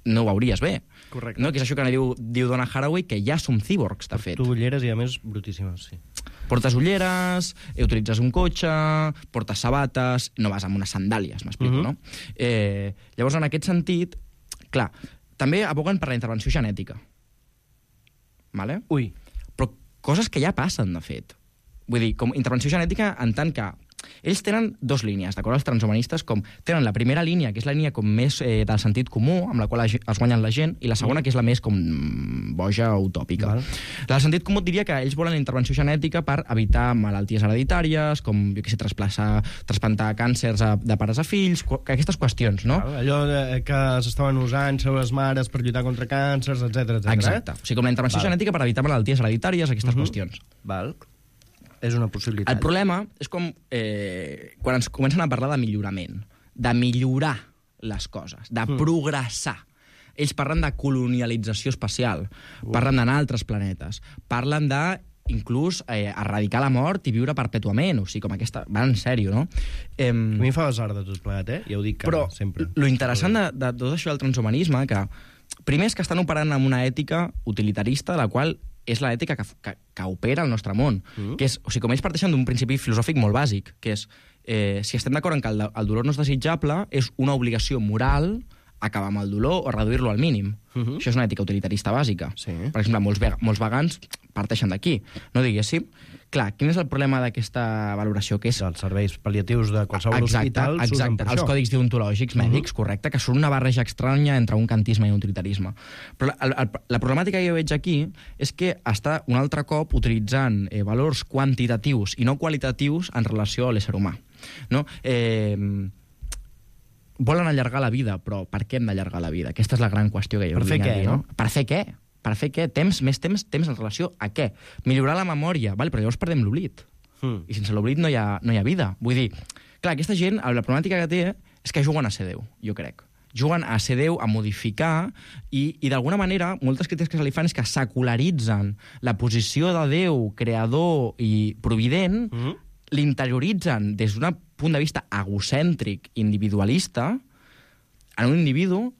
no ho veuries bé. Correcte. No? Que és això que diu Donna Haraway, que ja som cíborgs, de fet. Tu ulleres i, a més, brutíssimes, sí. Portes ulleres, utilitzes un cotxe, portes sabates, no vas amb unes sandàlies, m'explico, no? Llavors, en aquest sentit, clar, també aboguen per la intervenció genètica. Vale? Ui. Però coses que ja passen, de fet. Vull dir, com intervenció genètica en tant que ells tenen dues línies, d'acord? Els transhumanistes tenen la primera línia, que és la línia com més del sentit comú, amb la qual es guanyen la gent, i la segona, que és la més com boja o utòpica. La del sentit comú diria que ells volen la intervenció genètica per evitar malalties hereditàries, com, jo què sé, trasplantar càncers de pares a fills, aquestes qüestions, no? Allò que s'estaven usant les mares per lluitar contra càncers, etc. Exacte. O sigui, com la intervenció genètica per evitar malalties hereditàries, aquestes qüestions. Val. És una possibilitat. El problema és com quan ens comencen a parlar de millorament, de millorar les coses, de progressar. Ells parlen de colonialització espacial, parlen d'anar a altres planetes, parlen de inclús erradicar la mort i viure perpètuament, o sigui, com aquesta... Va en sèrio, no? A mi em fa besar de tot plegat, Ja ho dic però sempre. Però l'interessant de tot això del transhumanisme, que primer és que estan operant amb una ètica utilitarista, la qual és l'ètica que opera al nostre món. Que és, o sigui, com ells parteixen d'un principi filosòfic molt bàsic, que és, si estem d'acord en que el dolor no és desitjable, és una obligació moral acabar amb el dolor o reduir-lo al mínim. Això és una ètica utilitarista bàsica. Per exemple, molts vegans parteixen d'aquí. No diguéssim. Clar, quin és el problema d'aquesta valoració? Que és... Els serveis pal·liatius de qualsevol hospital s'usen per això. Els còdics deontològics mèdics, correcte, que són una barreja estranya entre un kantisme i un utilitarisme. Però la problemàtica que jo veig aquí és que està un altre cop utilitzant valors quantitatius i no qualitatius en relació a l'ésser humà. No? Volen allargar la vida, però per què hem d'allargar la vida? Aquesta és la gran qüestió que jo vinc a dir, no? Per fer què? Per fer què? Més temps en relació a què? Millorar la memòria, vale, però llavors perdem l'oblit. I sense l'oblit no hi ha vida. Vull dir, clar, aquesta gent, la problemàtica que té és que juguen a ser Déu, jo crec. Juguen a ser Déu, a modificar, i d'alguna manera, moltes crítiques que se li fan és que secularitzen la posició de Déu, creador i provident, l'interioritzen des d'un punt de vista egocèntric, individualista, en un individu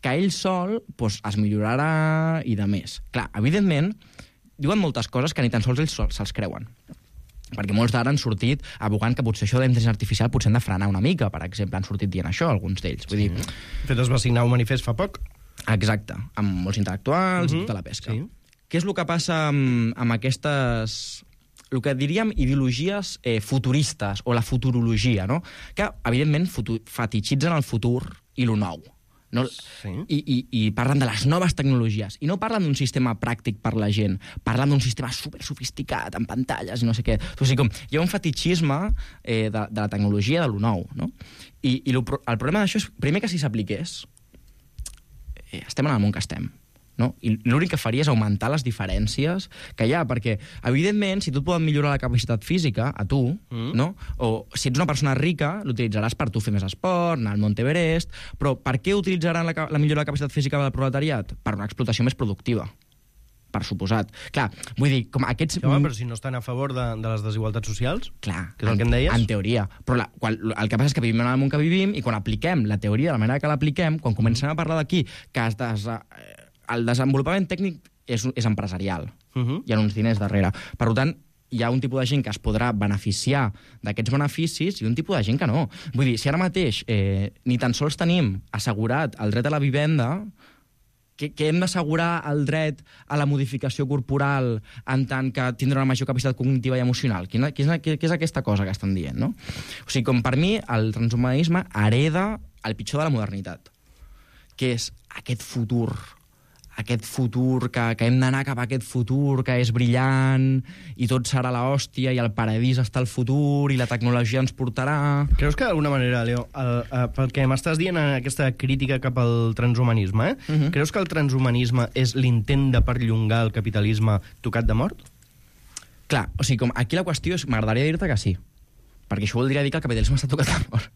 que ell sol es millorarà i de més. Clar, evidentment, diuen moltes coses que ni tan sols ells se'ls creuen. Perquè molts d'ara han sortit abogant que potser això de la intel·ligència artificial potser hem de frenar una mica, per exemple, han sortit dient això, alguns d'ells. Vull dir... De fet, es va signar un manifest fa poc. Exacte, amb molts intel·lectuals i tota la pesca. Què és el que passa amb aquestes... el que diríem ideologies futuristes, o la futurologia, no? Que, evidentment, fetitxitzen el futur i lo nou. No? I parlen de les noves tecnologies. I no parlen d'un sistema pràctic per la gent, parlen d'un sistema super sofisticat, amb pantalles i no sé què. O sigui, com, hi ha un fetitxisme de la tecnologia de lo nou. No? I el problema d'això és, primer, que si s'apliqués, estem en el món que estem. No? I l'únic que faria és augmentar les diferències que hi ha, perquè, evidentment, si tu et poden millorar la capacitat física, a tu, no? O si ets una persona rica, l'utilitzaràs per tu fer més esport, anar al Mont Everest, però per què utilitzaran la millora de la capacitat física del proletariat? Per una explotació més productiva, per suposat. Clar, vull dir, com aquests... Sí, home, però si no estan a favor de les desigualtats socials, clar, que és el que em deies? En teoria. Però el que passa és que vivim en el món que vivim i quan apliquem la teoria de la manera que l'apliquem, quan comencem a parlar d'aquí, que el desenvolupament tècnic és empresarial. Hi ha uns diners darrere. Per tant, hi ha un tipus de gent que es podrà beneficiar d'aquests beneficis i un tipus de gent que no. Vull dir, si ara mateix ni tan sols tenim assegurat el dret a la vivenda, que hem d'assegurar el dret a la modificació corporal en tant que tindrà una major capacitat cognitiva i emocional? Què és aquesta cosa que estan dient, no? O sigui, com per mi, el transhumanisme hereda el pitjor de la modernitat, que és aquest futur que hem d'anar cap a aquest futur que és brillant i tot serà l'hòstia i el paradís està al futur i la tecnologia ens portarà... Creus que d'alguna manera, Leo, pel que m'estàs dient en aquesta crítica cap al transhumanisme, creus que el transhumanisme és l'intent de perllongar el capitalisme tocat de mort? Clar, o sigui, com aquí la qüestió és... M'agradaria dir-te que sí, perquè això voldria dir que el capitalisme està tocat de mort.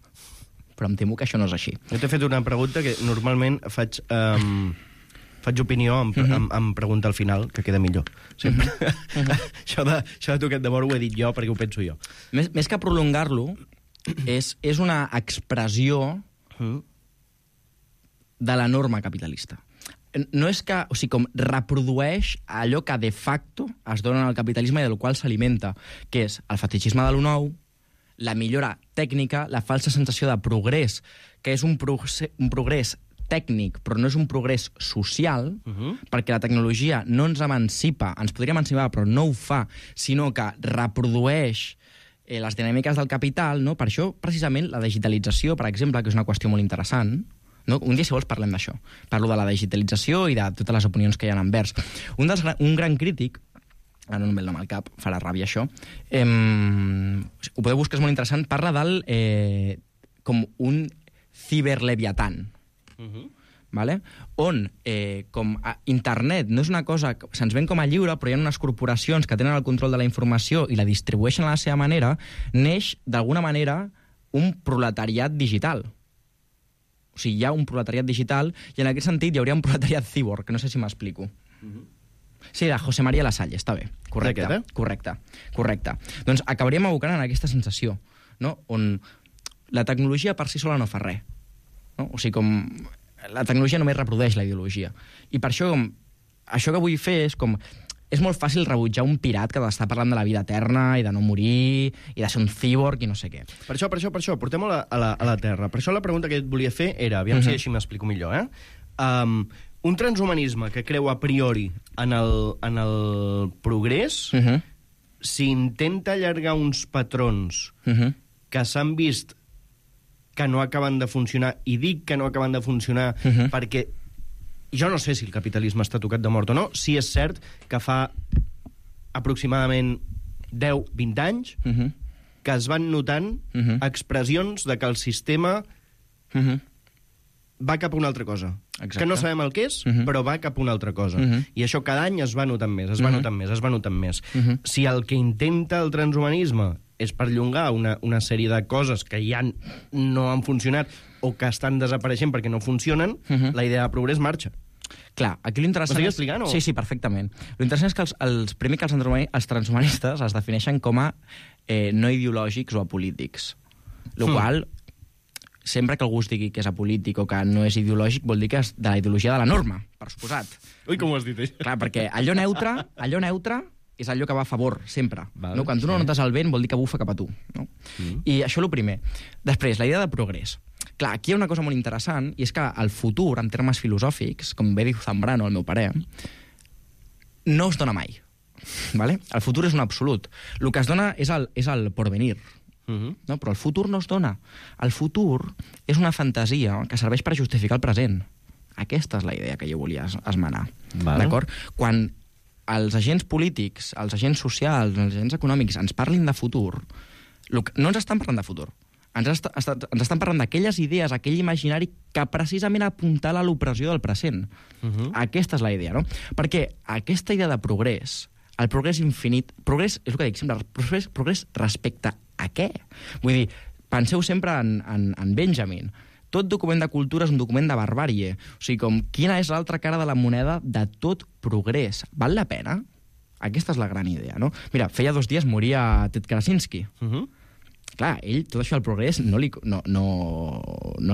Però em temo que això no és així. Jo t'he fet una pregunta que normalment faig opinió em pregunta al final, que queda millor. Sempre. Això de toquet de mort ho he dit jo perquè ho penso jo. Més que prolongar-lo, és una expressió de la norma capitalista. No és que, o sigui, com reprodueix allò que de facto es dona al capitalisme i del qual s'alimenta, que és el fetitxisme de lo nou, la millora tècnica, la falsa sensació de progrés, que és un progrés tècnic, però no és un progrés social, perquè la tecnologia no ens emancipa, ens podria emancipar, però no ho fa, sinó que reprodueix les dinàmiques del capital, no? Per això, precisament, la digitalització, per exemple, que és una qüestió molt interessant, no? Un dia, si vols, parlem d'això. Parlo de la digitalització i de totes les opinions que hi ha envers. Un gran crític, ara no em ve el nom al cap, farà ràbia això, ho podeu buscar, és molt interessant, parla del com un ciberleviatan, vale? On com internet no és una cosa que se'ns ven com a lliure, però hi ha unes corporacions que tenen el control de la informació i la distribueixen a la seva manera, neix d'alguna manera un proletariat digital. O sigui, hi ha un proletariat digital i en aquest sentit hi hauria un proletariat cyborg, que no sé si m'explico. Sí, de José María Lasalle, està bé. Correcte. Doncs acabaríem abocant en aquesta sensació, no? On la tecnologia per si sola no fa res. No? O sigui, com la tecnologia només reprodueix la ideologia. I per això, això que vull fer és com... És molt fàcil rebutjar un pirat que està parlant de la vida eterna i de no morir i de ser un cyborg i no sé què. Per això, portem-ho a la Terra. Per això la pregunta que et volia fer era, aviam si així m'explico millor, un transhumanisme que creu a priori en el progrés, si intenta allargar uns patrons que s'han vist que no acaben de funcionar, i dic que no acaben de funcionar perquè jo no sé si el capitalisme està tocat de mort o no, si és cert que fa aproximadament 10-20 anys que es van notant expressions de que el sistema va cap a una altra cosa. Exacte. Que no sabem el que és, però va cap a una altra cosa. I això cada any es va notant més, es va notant més. Si el que intenta el transhumanisme és perllongar una sèrie de coses que ja no han funcionat o que estan desapareixent perquè no funcionen, la idea de progrés marxa. Clar, aquí l'interessant... M'ho estic explicant, o? Sí, perfectament. L'interessant és que els transhumanistes es defineixen com a no ideològics o apolítics. El qual, sempre que algú es digui que és apolític o que no és ideològic, vol dir que és de la ideologia de la norma, per suposat. Ui, com ho has dit, això? Clar, perquè allò neutre és allò que va a favor, sempre. No? Quan tu no notes el vent, vol dir que bufa cap a tu. No? I això és el primer. Després, la idea de progrés. Clar, aquí hi ha una cosa molt interessant, i és que el futur, en termes filosòfics, com bé diu Zambrano, el meu parer, no es dona mai. Vale? El futur és un absolut. El que es dona és el porvenir. No? Però el futur no es dona. El futur és una fantasia que serveix per justificar el present. Aquesta és la idea que jo volia esmenar. D'acord? Quan els agents polítics, els agents socials, els agents econòmics ens parlin de futur, no ens estan parlant de futur. Ens estan parlant d'aquelles idees, aquell imaginari que precisament apuntala a l'opressió del present. Aquesta és la idea, no? Perquè aquesta idea de progrés, el progrés infinit... Progrés, és el que dic sempre, progrés respecte a què? Vull dir, penseu sempre en Benjamin. Tot document de cultura és un document de barbàrie. O sigui, com, quina és l'altra cara de la moneda de tot progrés? Val la pena? Aquesta és la gran idea, no? Mira, feia 2 dies moria Ted Kaczynski. Clar, ell, tot això del progrés, no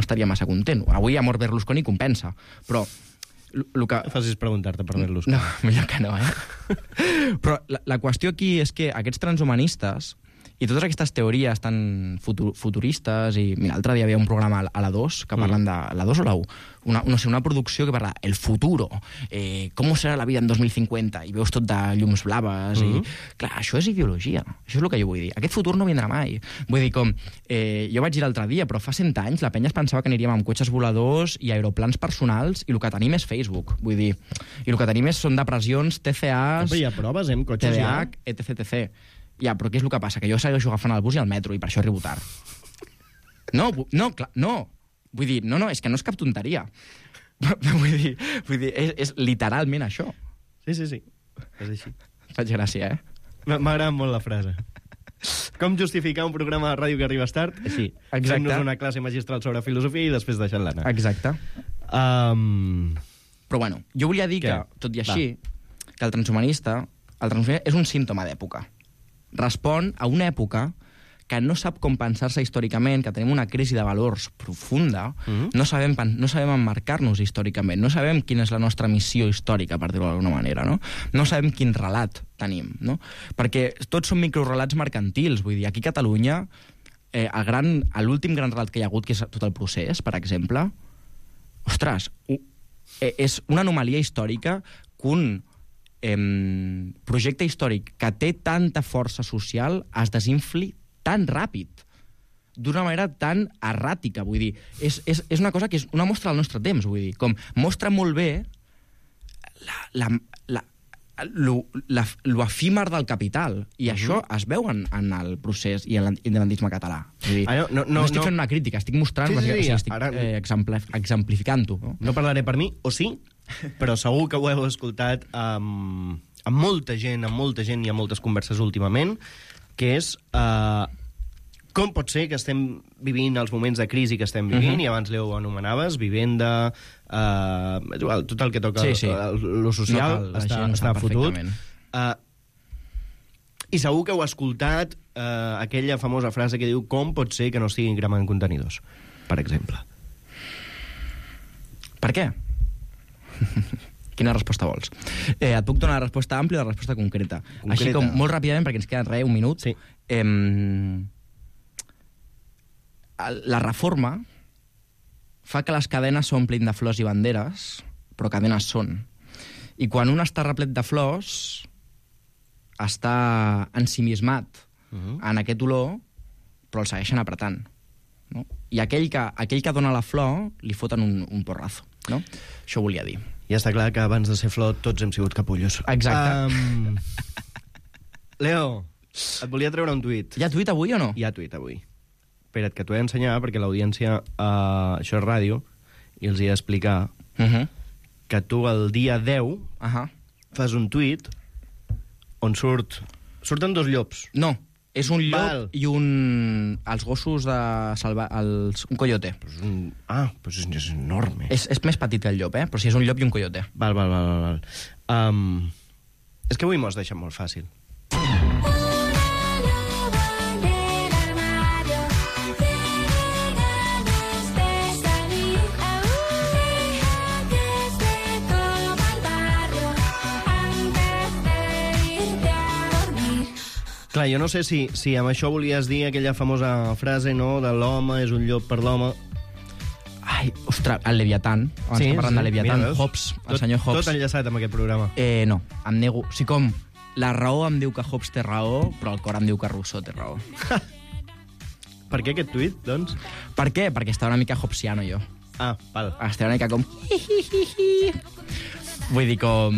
estaria massa content. Avui ha mort Berlusconi, compensa. Però el que... Facis preguntar-te per Berlusconi. No, millor que no, Però la qüestió aquí és que aquests transhumanistes i totes aquestes teories tan futuristes, i mira, l'altre dia havia un programa a la 2 que parlen de... La 2 o la 1? Una producció que parla el futuro, com serà la vida en 2050, i veus tot de llums blaves, i... Clar, això és ideologia, això és el que jo vull dir. Aquest futur no vindrà mai. Vull dir, com... jo vaig dir l'altre dia, però fa 100 anys la penya es pensava que aniríem amb cotxes voladors i aeroplans personals, i el que tenim és Facebook, vull dir. I el que tenim són depressions, TCAs... Però hi ha proves, amb cotxes TDAH, etc. Ja, però què és el que passa? Que jo segueixo agafant el bus i el metro, i per això arribo tard. No, clar, no. Vull dir, no, és que no és cap tonteria. Vull dir, és literalment això. Sí. És així. Faig gràcia, M'agrada molt la frase. Com justificar un programa de ràdio que arribes tard? Així. Fent-nos una classe magistral sobre filosofia i després deixant-la anar. Exacte. Però bueno, jo volia dir que, tot i així, que el transhumanista és un símptoma d'època. Respon a una època que no sap com pensar-se històricament, que tenim una crisi de valors profunda, no sabem emmarcar-nos històricament, no sabem quina és la nostra missió històrica, per dir-ho d'alguna manera, no? No sabem quin relat tenim, no? Perquè tots són microrelats mercantils, vull dir, aquí a Catalunya, l'últim gran relat que hi ha hagut, que és tot el procés, per exemple, ostres, és una anomalia històrica que un projecte històric que té tanta força social es desinfli tan ràpid, d'una manera tan erràtica, vull dir. És una cosa que és una mostra del nostre temps, vull dir. Com mostra molt bé lo efímer del capital. I això es veu en el procés i en l'independentisme català. Vull dir, no estic fent una crítica, estic mostrant, estic exemplificant-ho. No parlaré per mi, o sí, però segur que ho heu escoltat amb molta gent i amb moltes converses últimament, que és com pot ser que estem vivint els moments de crisi que estem vivint, i abans l'Eu anomenaves, vivenda, tot el que toca lo social, està fotut. I segur que heu escoltat aquella famosa frase que diu com pot ser que no estiguin cremant contenidors, per exemple. Per què? Quina resposta vols? Et puc donar la resposta àmplia o la resposta concreta. Així com molt ràpidament, perquè ens queda un minut. Sí. La reforma fa que les cadenes s'omplin de flors i banderes, però cadenes són. I quan un està replet de flors, està ensimismat en aquest olor, però el segueixen apretant. No? I aquell que dona la flor li foten un porrazo. No? Això volia dir. Ja està clar que abans de ser flor tots hem sigut capullos. Exacte. Leo, et volia treure un tuit. Hi ha tuit avui o no? Hi ha tuit avui. Espera't, que t'ho he d'ensenyar, perquè l'audiència... això és ràdio, i els he d'explicar que tu el dia 10 fas un tuit on surten dos llops. No, és un llop i els gossos de salvar... un coyote. Pues és enorme. És més petit que el llop, però sí, és un llop i un coyote. Val. És que avui m'ho has deixat molt fàcil. Clar, jo no sé si amb això volies dir aquella famosa frase, no?, de l'home és un llop per l'home. Ai, ostres, el Leviatán. Abans que parlant de Leviatán. Hobbes, el senyor Hobbes. Tot enllaçat amb aquest programa. No, em nego. O sigui, com la raó em diu que Hobbes té raó, però el cor em diu que Rousseau té raó. Per què aquest tuit, doncs? Per què? Perquè està una mica hobbesiano, jo. Val. Està una mica com... Vull dir, com...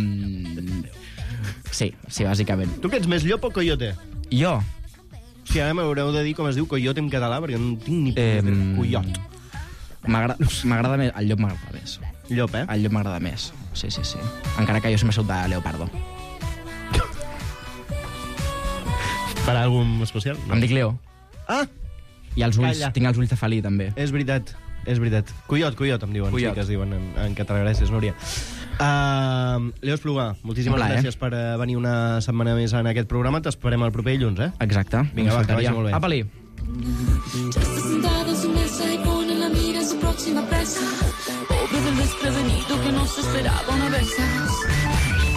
Sí, bàsicament. Tu que ets més llop o coyote? Jo? Sí, ara m'haureu de dir com es diu coyote en català, perquè no tinc ni coyot. M'agrada més... El llop m'agrada més. Llop, El llop m'agrada més. Sí. Encara que jo sempre soc de leopardo. Per algun especial? No. Em dic Leo. I els ulls, tinc els ulls de felí, també. És veritat. Coyot, em diuen. Coyot. Sí que es diuen en català. Gràcies, Núria. Leo Esplugà, moltíssimes gràcies per venir una setmana més en aquest programa. T'esperem el proper dilluns, Exacte. Vinga, va, que vagi molt bé. Apa-li. Ya está sentada en su mesa y pone la mira en su próxima presa. Pobre del desprevenido que no se esperaba una vez.